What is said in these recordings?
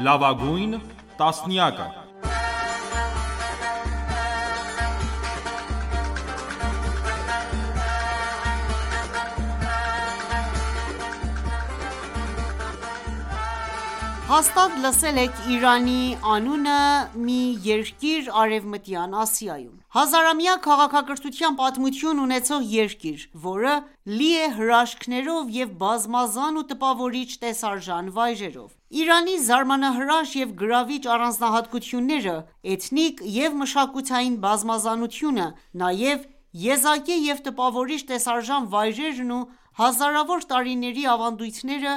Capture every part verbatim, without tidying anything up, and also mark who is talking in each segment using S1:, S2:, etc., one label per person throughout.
S1: Լավագույն տասնյակը։
S2: Հաստատ լսել եք Իրանի անունը մի երկիր Արևմտյան Ասիայում: Հազարամյա քաղաքակրթության պատմություն ունեցող երկիր, որը լի է հրաշքներով և բազմազան ու տպավորիչ տեսարժան վայրերով: Իրանի զարմանահրաշ և գրավիչ առանձնահատկությունները, էթնիկ և մշակութային բազմազանությունը, նաև եզակի և տպավորիչ տեսարժան վայրերն ու հազարավոր տարիների ավանդույթները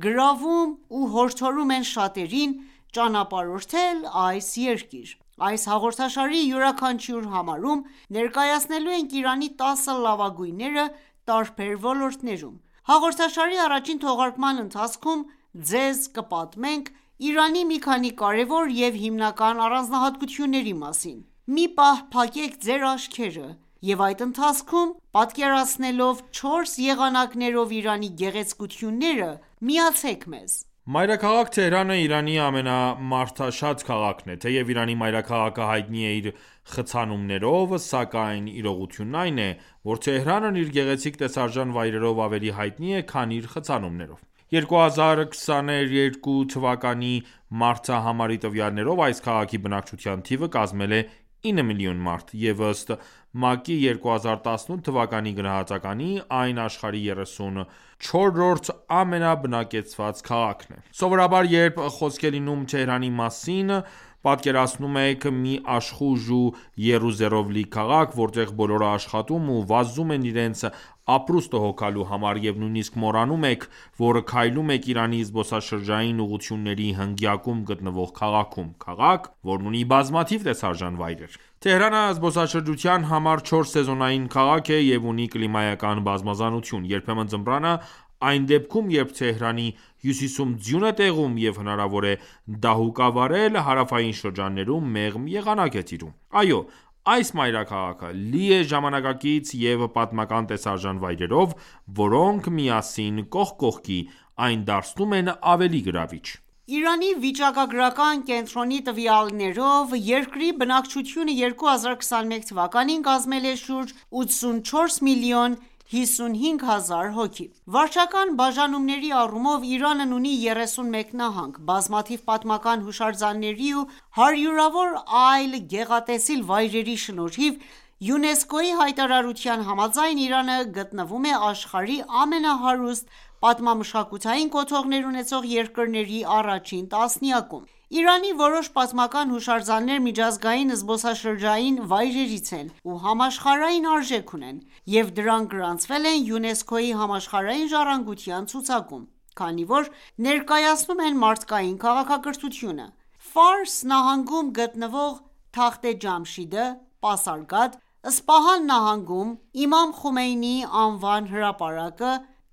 S2: գրավում ու հորդորում են շատերին ճանապարհորդել այս երկիր: Այս հաղորդաշարի յուրաքանչյուր համարում ներկայացնելու ենք Իրանի տասը լավագույնները տարբեր ոլորտներում: Հաղորդաշարի առաջին թողարկման ընթացքում ձեզ կպատմենք Իրանի մի քանի կարևոր և հիմնական առանձնահատկությունների մասին: Մի պահ փակեք ձեր աչքերը և այդ ընթացքում պատկերացնելով չորս եղանակներով Իրանի գեղեցկությունները, միացեք մեզ:
S1: Մայրաքաղաք Թեհրանը Իրանի ամենամարդաշատ քաղաքն է: Թեև Իրանի մայրաքաղաքը հայտնի է իր խցանումներով, սակայն իրողությունն այն է, որ Թեհրանն իր գեղեցիկ տեսարժան վայրերով ավելի հայտնի է, քան իր խցանումներով: երկու հազար քսաներկու թվականի մարդահամարի տվյալներով այս քաղաքի բնակչության թիվը կազմել է ինը միլիոն մարդ, և ըստ ՄԱԿ-ի երկու հազար տասնութ թվականի գնահատականի, այն աշխարհի երեսունչորրորդ ամենաբնակեցված քաղաքն է: Սովորաբար երբ խոսք է լինում Թեհրանի մասին, պատկերացնում եք մի աշխույժ ու եռուզեռով լի քաղաք, որտեղ բոլորը աշխատում ու վազում են իրենց ապրուստը հոգալու համար, և նույնիսկ մոռանում եք, որ քայլում եք Իրանի զբոսաշրջային ուղղությունների հնգյակում գտնվող քաղաքում: Քաղաք, որն ունի բազմաթիվ տեսարժան վայրեր: Թեհրանը զբոսաշրջության համար չորս սեզոնային քաղաք է և ունի կլիմայական բազմազանություն: Երբեմն ձմռանը, այն դեպքում երբ Թեհրանի հյուսիսում ձյուն է տեղում և հնարավոր է դահուկավարել, հարավային շրջաններում մեղմ եղանակ է տիրում: Այո, այս մայրաքաղաքը լի է ժամանակակից և պատմական տեսարժան վայրերով, որոնք միասին կողք կողքի, այն դարձնում են ավելի գրավիչ:
S2: Իրանի վիճակագրական կենտրոնի տվյալներով, երկրի բնակչությունը երկու հազար քսաներկու թվականին կազմել է շուրջ ութսունչորս միլիոն հիսունհինգ հազար հոգի: Վարչական բաժանումների առումով Իրանն ունի երեսունմեկ նահանգ: Բազմաթիվ պատմական հուշարձանների ու հարյուրավոր այլ գեղատեսիլ վայրերի շնորհիվ, ՅՈՒՆԵՍԿՕ-ի հայտարարության համաձայն, Իրանը գտնվում է աշխարհի ամենահարուստ պատմամշակութային կոթողներ ունեցող երկրների առաջին տասնյակում: Իրանի որոշ պատմական հուշարձաններ միջազգային զբոսաշրջային վայրերից են ու համաշխարհային արժեք ունեն և դրանք գրանցվել են ՅՈՒՆԵՍԿՕ-ի համաշխարհային ժառանգության ցուցակում, քանի որ ներկայացնում են մարդկային քաղաքակրթությունը: Ֆարս նահանգում գտնվող Թախթ Ջամշիդը, Պասարգադ, Սպահան նահանգում Իմամ Խոմեյնիի անվան հրապարակը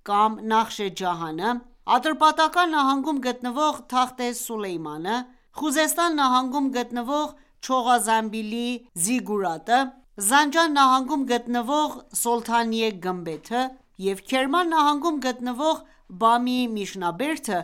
S2: կամ Նախշ Ջահանը, Ատրպատական նահանգում գտնվող Թախթ Սուլեյմանը, Խուզեստան նահանգում գտնվող Չողազամբիլի Զիգուրատը, Զանջան նահանգում գտնվող Սոլթանիե գմբեթը և Քերման նահանգում գտնվող Բամի Միշնաբերդը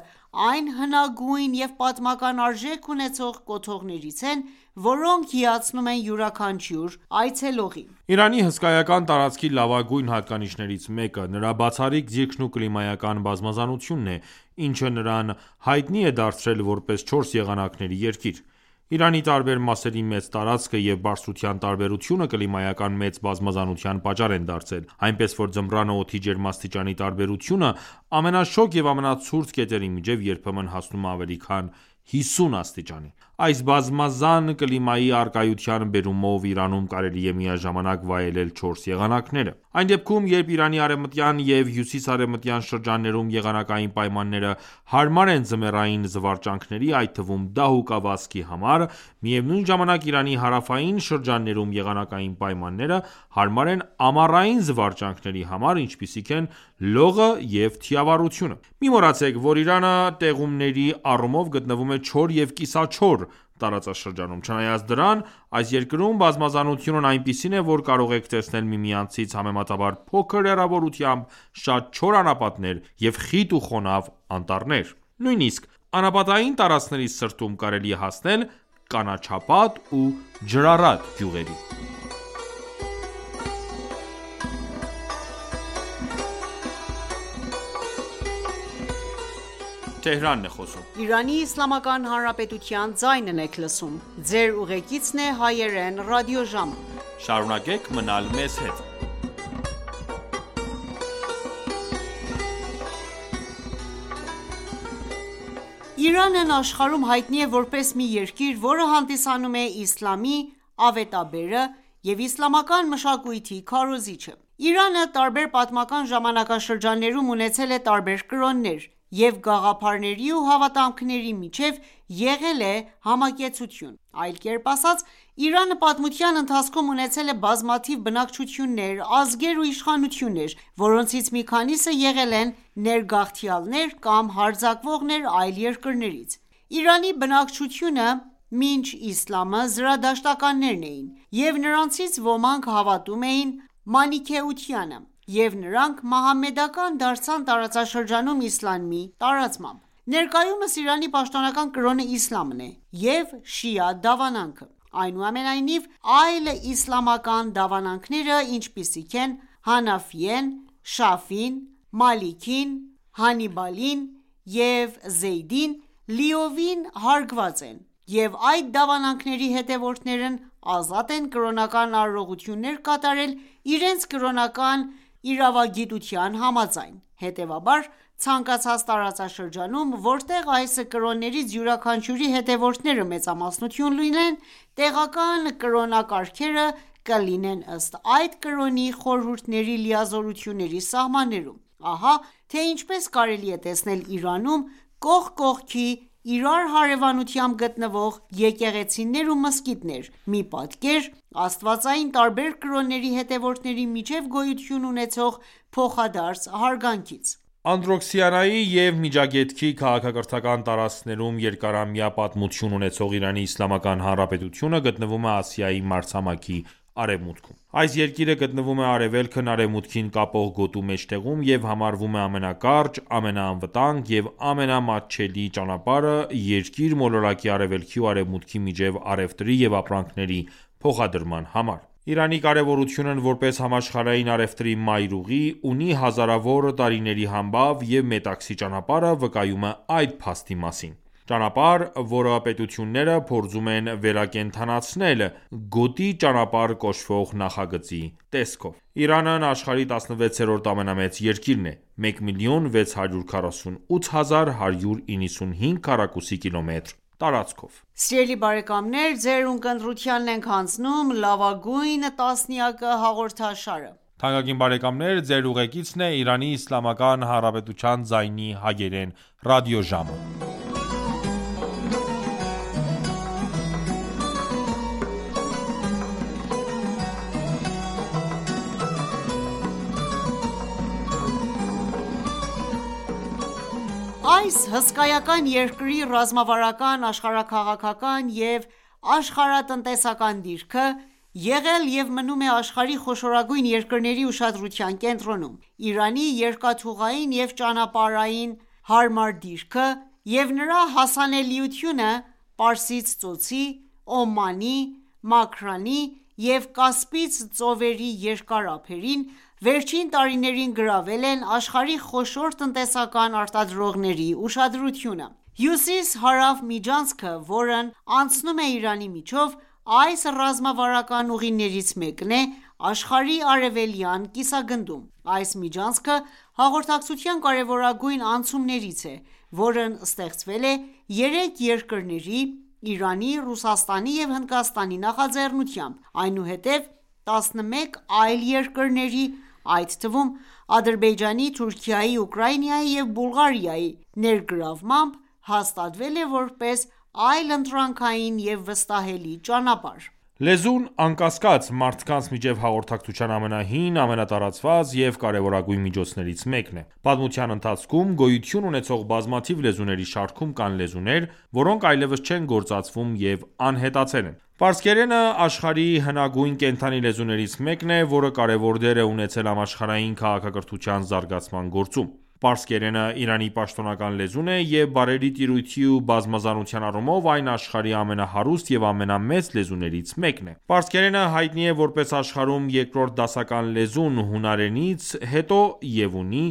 S2: այն հնագույն և պատմական արժեք ունեցող կոթողներից են, որոնք հիացնում են յուրաքանչյուր այցելողի:
S1: Իրանի հսկայական տարածքի լավագույն հատկանիշներից մեկը նրա բացառիկ դիրքն ու կլիմայական բազմազանությունն է, ինչը նրան հայտնի է դարձրել որպես չորս եղանակների երկիր: Իրանի տարբեր մասերի մեծ տարածքը և բարձրության տարբերությունը կլիմայական մեծ բազմազանության պատճառ են դարձել, այնպես որ ձմռանը օդի ջերմաստիճանի տարբերությունը ամենաշոգ և ամենացուրտ կետերի միջև երբեմն հասնում է ավելի քան հիսուն աստիճանի: Այս բազմազան կլիմայի առկայության բերումով Իրանում կարելի է միաժամանակ վայելել չորս եղանակները: Այն դեպքում, երբ Իրանի արևմտյան և հյուսիս-արևմտյան շրջաններում եղանակային պայմանները հարմար են ձմեռային զվարճանքների, այդ թվում դահուկավազքի համար, միևնույն ժամանակ Իրանի հարավային շրջաններում եղանակային պայմանները հարմար են ամառային զվարճանքների համար, ինչպիսիք են լողը և թիավարությունը: Մի մոռացեք, որ Իրանը տեղումների առումով գտնվում է չոր և կիսաչոր տարածաշրջանում: Չնայած դրան, այս երկրում բազմազանությունն այնպիսին է, որ կարող եք տեսնել միմյանցից համեմատաբար փոքր հեռավորությամբ շատ չոր անապատներ և խիտ ու խոնավ անտառներ: Նույնիսկ Անապատային տարածքների սրտում կարելի է հասնել կանաչապատ ու ջրառատ գյուղերի։
S2: Իրանն աշխարհում հայտնի է որպես մի երկիր, որը հանդիսանում է իսլամի ավետաբերը և իսլամական մշակույթի քարոզիչը։ Իրանը տարբեր պատմական ժամանակաշրջաններում ունեցել է տարբեր կրոններ, և գաղափարների ու հավատամքների միջև եղել է համակեցություն։ Այլ կերպ ասած, Իրանը պատմության ընթացքում ունեցել է բազմաթիվ բնակչություններ, ազգեր ու իշխանություններ, որոնցից մի քանիսը եղել են ներգաղթյալներ կամ հարձակվողներ այլ երկրներից։ Իրանի բնակչությունը մինչ իսլամը զրադաշտականներն էին, և նրանցից ոմանք հավատում էին մանիքեությանը, և նրանք մահամեդական դարձան տարածաշրջանում իսլամի տարածմամբ։ Ներկայումս Իրանի պաշտոնական կրոնը իսլամն է և շիա դավանանքը։ Այնուամենայնիվ, այլ իսլամական դավանանքները, ինչպիսիք են Հանաֆիեն, Շաֆին, Մալիքին, Հանիբալին և Զեյդին, լիովին հարգված են, և այդ դավանանքների հետևորդներն ազատ են կրոնական արարողություններ կատարել իրենց կրոնական իրավագիտության համաձայն։ Հետևաբար, ցանկացած տարածաշրջանում, որտեղ այս կրոններից յուրաքանչյուրի հետևորդները մեծամասնություն լինեն, տեղական կրոնակարգերը կլինեն ըստ այդ կրոնի խորհուրդների լիազորությունների սահմաններում։ Ահա թե ինչպես կարելի է տեսնել Իրանում կողք կողքի իրար հարևանությամբ գտնվող եկեղեցիներ ու մզկիթներ, մի պատկեր աստվածային տարբեր կրոնների հետևորդների միջև գոյություն ունեցող փոխադարձ հարգանքից։
S1: Անդրոքսիանայի և Միջագետքի քաղաքակրթական տարածքներում երկարամյա պատմություն ունեցող Իրանի Իսլամական Հանրապետությունը գտնվում է Ասիայի մայրցամաքի արևմուտքում։ Այս երկիրը գտնվում է Արևելքն արևմուտքին կապող գոտու մեջտեղում և համարվում է ամենակարճ, ամենաանվտանգ և ամենամատչելի ճանապարհը Երկիր մոլորակի արևելքի ու արևմուտքի միջև առևտրի և ապրանքների փոխադրման համար։ Իրանի կարևորությունն որպես համաշխարհային առևտրի մայրուղի, ունի հազարավոր տարիների համբավ և Մետաքսի ճանապարհը վկայում է այդ փաստի մասին։ Ճանապարհ, որը պետությունները փորձում են վերակենդանացնել «Գոտի ճանապարհ» կոչվող նախագծի տեսքով։ Իրանն աշխարհի տասնվեցերորդ ամենամեծ երկիրն է՝ մեկ միլիոն վեց հարյուր քառասունութ հազար հարյուր իննսունհինգ քառակուսի կիլոմետր տարածքով։
S2: Սիրելի բարեկամներ, ձեր ունկնդրությանն ենք հանձնում «Լավագույն տասնյակը» հաղորդաշարը։
S1: Թանկագին բարեկամներ, ձեր ուղեկիցն է Իրանի Իսլամական Հանրապետության ձայնի հագերեն ռադիոժամը։
S2: Այս հսկայական երկրի ռազմավարական, աշխարհաքաղաքական և աշխարհատնտեսական դիրքը եղել և մնում է աշխարհի խոշորագույն երկրների ուշադրության կենտրոնում։ Իրանի երկաթուղային և ճանապարհային հարմար դիրքը և նրա հասանելիությունը Պարսից ծոցի, Օմանի, Մաքրանի և Կասպից ծովերի երկար ափերին, վերջին տարիներին գրավել են աշխարհի խոշոր տնտեսական արտադրողների ուշադրությունը։ Հյուսիս-հարավ միջանցքը, որն անցնում է Իրանի միջով, այս ռազմավարական ուղիներից մեկն է աշխարհի արևելյան կիսագնդում։ Այս միջանցքը հաղորդակցության կարևորագույն անցումներից է, որն ստեղծվել է երեք երկրների՝ Իրանի, Ռուսաստանի և Հնդկաստանի նախաձեռնությամբ, այնուհետև տասնմեկ այլ երկրների, այդ թվում Ադրբեջանի, Թուրքիայի, Ուկրաինայի և Բուլղարիայի ներգրավմամբ հաստատվել է որպես այլընտրանքային և վստահելի ճանապարհ։
S1: Լեզուն, անկասկած, մարդկանց միջև հաղորդակցության ամենահին, ամենատարածված և կարևորագույն միջոցներից մեկն է։ Պատմության ընթացքում գոյություն ունեցող բազմաթիվ լեզուների շարքում կան լեզուներ, որոնք այլևս չեն գործածվում և անհետացել են։ Պարսկերենը աշխարհի հնագույն կենդանի լեզուներից մեկն է, որը կարևոր դեր է ունեցել համաշխարհային քաղաքակրթության զարգացման գործում։ Պարսկերենը Իրանի պաշտոնական լեզուն է և բառերի տիրույթի ու բազմազանության առումով այն աշխարհի ամենահարուստ և ամենամեծ լեզուներից մեկն է։ Պարսկերենը հայտնի է որպես աշխարհում երկրորդ դասական լեզուն հունարենից հետո և ունի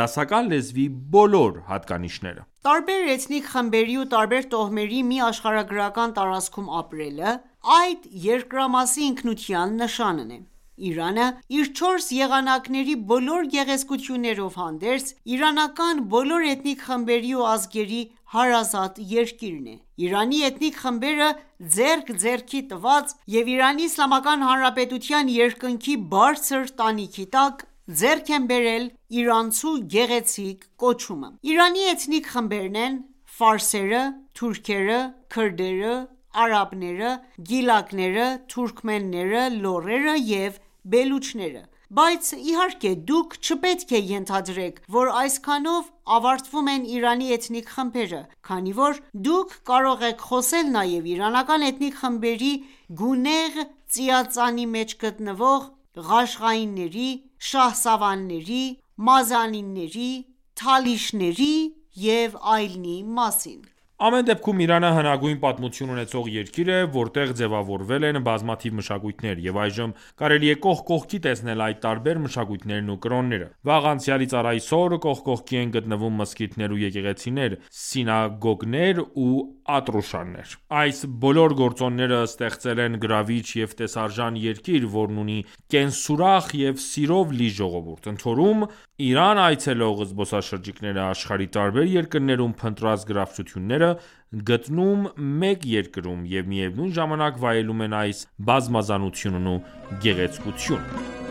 S1: դասական լեզվի բոլոր հատկանիշները։
S2: Տարբեր էթնիկ խմբերի ու տարբեր տոհմերի մի աշխարհագրական տարածքում ապրելը այդ երկրամասի ինքնության նշանն է։ Իրանը իր չորս եղանակների բոլոր գեղեցկություններով հանդերձ, իրանական բոլոր էթնիկ խմբերի ու ազգերի հարազատ երկիրն է։ Իրանի էթնիկ խմբերը ձեռք ձեռքի տված և Իրանի Իսլամական Հանրապետության երկնքի բարձր տանիքի տակ, ձեռք են բերել իրանցու գեղեցիկ կոչումը։ Իրանի էթնիկ խմբերն են՝ ֆարսերը, թուրքերը, քրդերը, արաբները, գիլաքները, թուրքմենները, լոռերը և բելուչները։ Բայց իհարկե դուք չպետք է ենթադրեք, որ այսքանով ավարտվում են Իրանի էթնիկ խմբերը, քանի որ դուք կարող եք խոսել նաև իրանական էթնիկ խմբերի գունեղ ծիածանի մեջ գտնվող ղաշղայիների, շահսավանների, մազանիների, թալիշների և այլնի մասին։
S1: Ամեն դեպքում Իրանը հնագույն պատմություն ունեցող երկիր է, որտեղ ձևավորվել են բազմաթիվ մշակույթներ, և այժմ կարելի է կողք կողքի տեսնել այդ տարբեր մշակույթներն ու կրոնները։ Վաղ անցյալից առ այսօր կողք կողքի են գտնվում մզկիթներ ու եկեղեցիներ, սինագոգներ ու ատրուշաններ։ Այս բոլոր գործոնները ստեղծել են գրավիչ և տեսարժան երկիր, որն ունի կենսուրախ և սիրով լի ժողովուրդ։ Ընդհանուր Իրան այցելող զբոսաշրջիկները աշխարհի տարբեր երկրներում փնտրած գրավչությունները գտնում մեկ երկրում և միևնույն ժամանակ վայելում են այս բազմազանությունն ու գեղեցկությունը։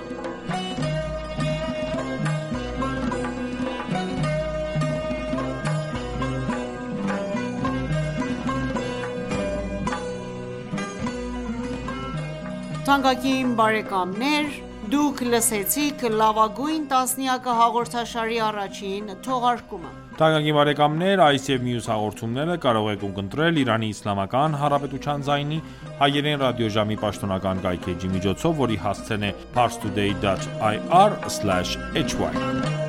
S2: Թանկագին բարեկամներ, դուք լսեցիք «Լավագույն տասնյակը» հաղորդաշարի առաջին թողարկումը։
S1: Թանկագին բարեկամներ, այս և մյուս հաղորդումները կարող եք ունկնդրել Իրանի Իսլամական Հանրապետության ձայնի հայերեն ռադիոժամի պաշտոնական կայքէջի միջոցով, որի հասցեն է parstoday dot ir slash hy